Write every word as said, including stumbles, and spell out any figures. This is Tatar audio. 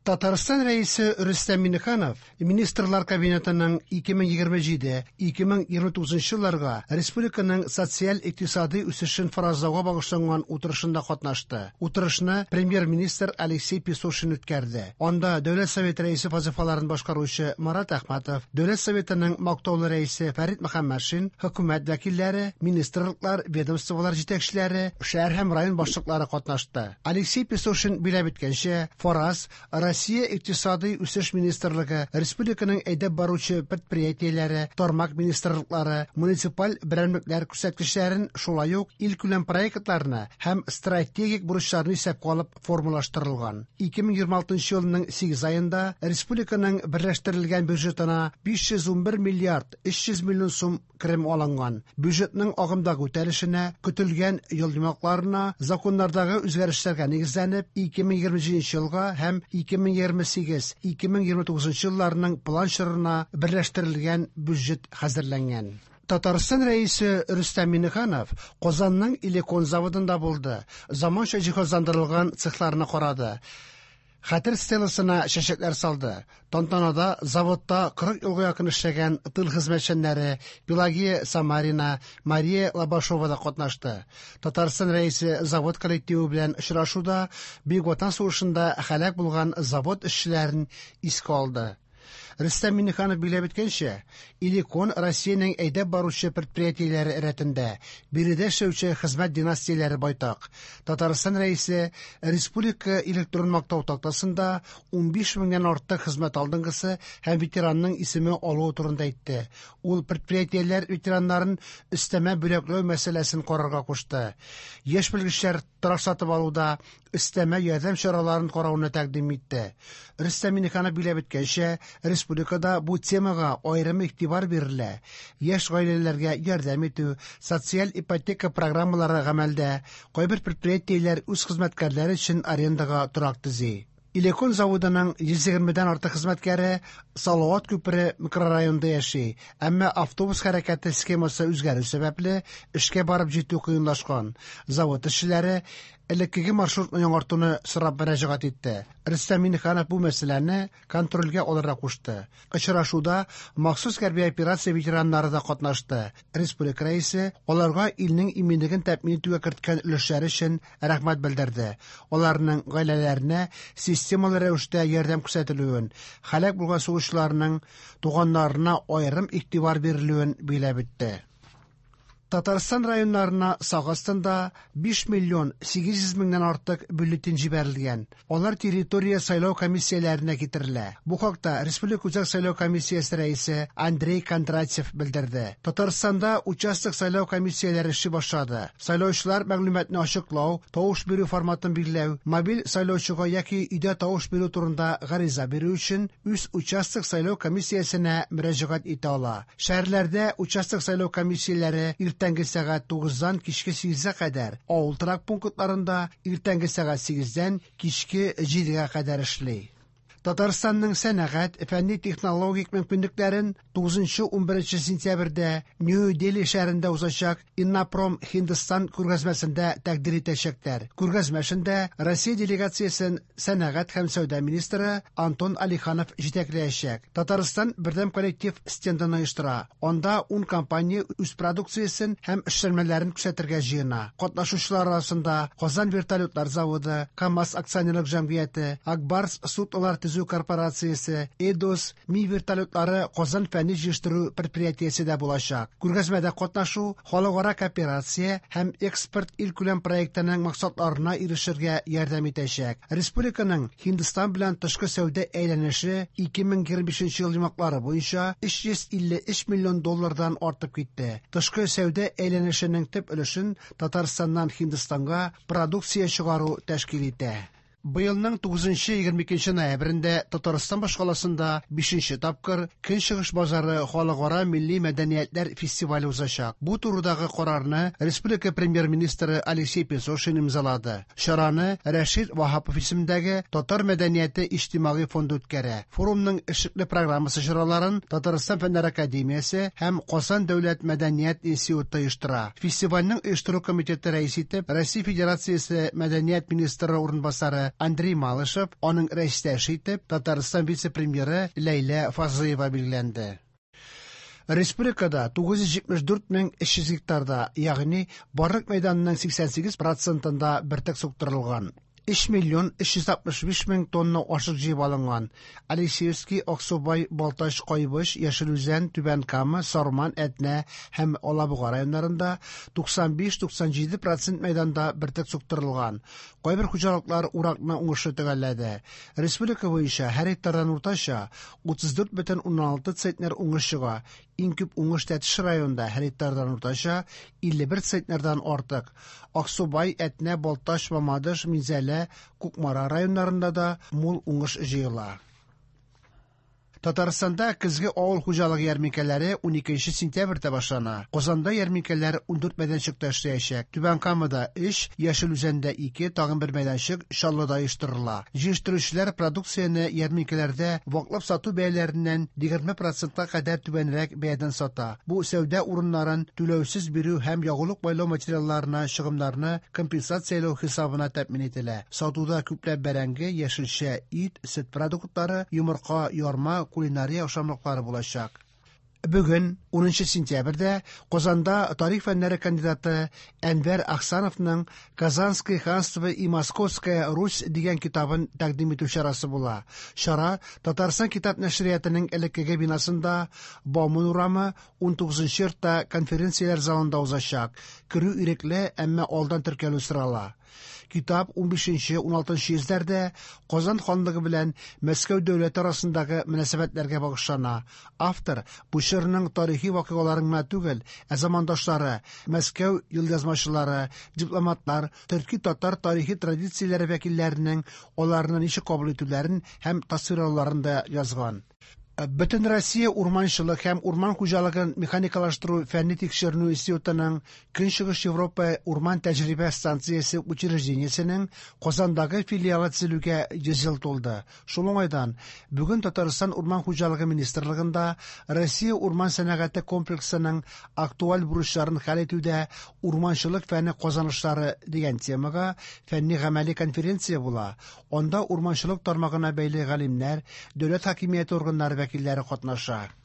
Татарстан Рәисе Рөстәм Миңнеханов Министрлар Кабинетының ике мең егерме җиде-ике мең егерме тугызынчы елларга республиканың социаль-икътисади үсешен фаразлауга багышланган утырышында катнашты. Утырышны премьер-министр Алексей Песошин үткәрде. Анда Дәүләт Советы рәисе вазифаларын башкаручы Марат Әхмәтов, Дәүләт Советының мактаулы рәисе Фәрит Мөхәммәтшин, хөкүмәт вәкилләре, министрлыклар, ведомстволар җитәкчеләре, шәһәр һәм район башлыклары катнашты. Алексей Песошин биләп үткәнчә, фараз Россия Икътисади үсеш министрлыгы, республиканың әйдәп баручы предприятиеләре, тармак министрлыклары, муниципаль берәмлекләр күрсәткечләрен, шулай ук илкүләм проектларны һәм стратегик бурычларны исәпкә алып формалаштырылган. ике мең егерме алтынчы елның сигез аенда республиканың берләштерелгән бюджетына биш йөз унбер миллиард өч йөз миллион сум керем алынган. Бюджетның агымдагы үтәлешенә, көтелгән ел йомгакларына, законнардагы үзгәрешләргә нигезләнеп, ике мең егерме җиденче елга һәм ике мең егерме сигез, ике мең егерме тугызынчы елларның план чорына берләштерелгән бюджет хәзерләнгән. Татарстан Рәисе Рөстәм Миңнеханов Казанның Элекон заводында булды. Заманча җиһазландырылган цехларны карады. Хәтер стеласына чәчәкләр салды. Тантанада заводта кырык елга якын эшләгән тыл хезмәтчәннәре Пелагея Самарина, Мария Лобашова да катнашты. Татарстан Рәисе завод коллективы белән очрашуда Бөек Ватан сугышында һәлак булган завод эшчеләрен искә алды. Рөстәм Миңнеханов билгеләп үткәнчә, Элекон Россиянең әйдәп баручы предприятиеләре рәтендә, биредә эшләүче хезмәт династияләре байтак. Татарстан Рәисе республика электрон мактау тактасында унбиш меңнән артык хезмәт алдынгысы һәм ветеранның исеме алуы турында әйтте. Ул предприятиеләр ветераннарын өстәмә бүләкләү мәсьәләсен карарга кушты. Яшь белгечләр торак сатып алуда өстәмә ярдәм чараларын карауны тәкъдим итте. Рөстәм Миңнеханов билгеләп үткәнчә, республикада бу темага аерым игътибар бирелә. Яшь гаиләләргә ярдәм итү, социаль ипотека программалары гамәлдә, кайбер предприятиеләр үз хезмәткәрләре өчен арендага торак төзи. Элекон заводының йөз егермедән артык хезмәткәре Салават күпере микрорайонында яши, әмма автобус хәрәкәте схемасы үзгәрү сәбәпле эшкә барып җитү кыенлашкан. Завод эшчеләре элеккеге маршрутны яңартуны сорап мөрәҗәгать итте. Рөстәм Миңнеханов бу мәсьәләне контрольгә алырга кушты. Очрашуда махсус хәрби операция ветераннары да катнашты. Республика рәисе аларга илнең иминлеген тәэмин итүгә керткән өлешләре өчен рәхмәт белдерде. Аларның гаиләләренә системалы рәвештә ярдәм күрсәтелүен, һәлак булган сугышчыларның туганнарына аерым игътибар бирелүен билгеләп үтте. Татарстан районнарына сак астында биш миллион сигез йөз меңнән артык бюллетень җибәрелгән. Алар территория сайлау комиссияләренә китерелә. Бу хакта Республика Үзәк сайлау комиссиясе рәисе Андрей Кондратьев белдерде. Татарстанда участок сайлау комиссияләре эшли башлады. Сайлаучылар мәгълүматны ачыклау, тавыш бирү форматын билгеләү, мобиль сайлаучыга яки өйдә тавыш бирү турында гариза бирү өчен үз участок сайлау комиссиясенә мөрәҗәгать итә ала. Шәһәрләрдә участок сайлау комиссияләре иртәнге сәгать тугыздан кичке сигезгә кадәр, авыл торак пунктларында иртәнге сәгать сигездән кичке җидегә кадәр эшли. Татарстанның сәнәгать, фәнни-технологик мөмкинлекләрен тугызынчы унберенче сентябрьдә Нью-Дели шәһәрендә узачак Иннопром Һиндстан күргәзмәсендә тәкъдир итәчәкләр. Күргәзмә эшендә Россия делегациясен сәнәгать һәм сәүдә министры Антон Алиханов җитәкләячәк. Татарстан бердәм коллектив стендын оештыра. Анда ун компания үз продукциясен һәм эшләнмәләрен күрсәтергә җыена. Катнашучылар арасында Казан вертолетлар заводы, КАМАЗ акционерлык җәмгыяте, Акбарс суднолар төзү корпорациясе, Эдос, Ми вертолетлары Казан фәнни җыештыру предприятиесе дә булачак. Күргәзмәдә катнашу халыкара кооперация һәм экспорт илкүләм проектының максатларына ирешергә ярдәм итәчәк. Республиканың Һиндстан белән тышкы сәүдә әйләнеше ике мең егерме бишенче ел йомгаклары буенча өч йөз илле өч миллион доллардан артып китте. Тышкы сәүдә әйләнешенең төп өлешен Татарстаннан Һиндстанга продукция чыгару тәшкил итә. Быелның тугызынчы егерме икенче ноябрендә Татарстан башкаласында бишенче тапкыр Көнчыгыш базары халыкара милли мәдәниятләр фестивале узачак. Бу турыдагы карарны республика премьер-министры Алексей Песошин имзалады. Чараны Рәшит Ваһапов исемендәге Татар мәдәнияте иҗтимагый фонды үткәрә. Форумның эшлекле программасы чараларын Татарстан Фәннәр академиясе һәм Казан дәүләт мәдәният институты оештыра. Фестивальнең оештыру комитеты рәисе итеп Россия Федерациясе мәдәният министры урынбасары Андрей Малышев, аның рәистәше итеп Татарстан вице-премьеры Ләйлә Фазлыева билгеләнде. Республикада тугыз йөз җитмеш дүрт мең өч йөз гектарда, ягъни барлык мәйданның сиксән сигез процентында бөртек суктырылган. Өч миллион өч йөз алтмыш биш мең тонна ашык җыеп алынган. Алексеевский, Аксубай, Балтач, Кайбыч, Яшел Үзән, Түбән Кама, Сарман, Әтнә һәм Алабуга районнарында туксан биш-туксан җиде процент мәйданда бөртек суктырылган. Кайбер хуҗалыклар уракны уңышлы төгәлләде. Республика буенча һәр гектардан уртача утыз дүрт бөтен уннан алты центнер уңыш чыга. Иң күп уңыш Тәтеш районында һәр гектардан уртача илле бер центнердан артык. Аксубай, Әтнә, Балтач, Мамадыш, Минзәлә, Кукмара районнарында да мул уңыш җыела. Татарстанда көзге авыл хуҗалыгы ярминкәләре уникенче сентябрьдә башлана. Казанда ярминкәләр ундүрт мәйданчыкта эшләячәк. Түбән Камада өч, Яшел Үзәндә ике, тагын бер мәйданчык Чаллыда оештырыла. Җыештыручылар продукцияне ярминкәләрдә ваклап сату бәяләреннән егерме процентка кадәр түбәнрәк бәядән сата. Бу сәүдә урыннарын түләүсез бирү һәм ягулык майлау материалларына чыгымнарны компенсацияләү хисабына тәэмин ителә. Сатуда күпләп бәрәңге, яшелчә, ит, сөт продуктлары, йомырка, ярма, кулинария ашамлыклары булачак. Бүген, унынчы сентябрьдә, Казанда тарих фәннәре кандидаты Әнвәр Ахсановның Казанское ханство и Московская Русь дигән китабын тәкъдим итү чарасы була. Чара Татарстан китап нәшриятының элеккеге бинасында Бауман урамы унтугызынчы йортта конференцияләр залында узачак. Керү ирекле, әмма алдан теркәлү сорала. Китап унбишенче, уналтынчы йөзләрдә Казан ханлыгы белән Мәскәү дәүләте арасындагы мөнәсәбәтләргә багышлана. Автор бу чорның тарихи вакыйгаларын гына түгел, ә замандашлары, Мәскәү елъязмачылары, дипломатлар, төрки-татар тарихи традицияләре вәкилләренең аларны ничек кабул итүләрен һәм тасвирлауларын да язган. Бөтен Россия урманчылык һәм урман хуҗалыгын механикалаштыру фәнни тикшеренү институтының Көнчыгыш Европа урман тәҗрибә станциясе учреждениесенең Казандагы филиалы төзелүгә йөз ел тулды. Шул уңайдан бүген Татарстан Урман хуҗалыгы министрлыгында Россия урман сәнәгате комплексының актуаль бурычларын хәл итүдә урманчылык фәне казанышлары дигән темага фәнни гамәли конференция була. Анда урманчылык тармагына бәйле галимнәр, дәүләт хакимияте органнары вәкилләре катнаша.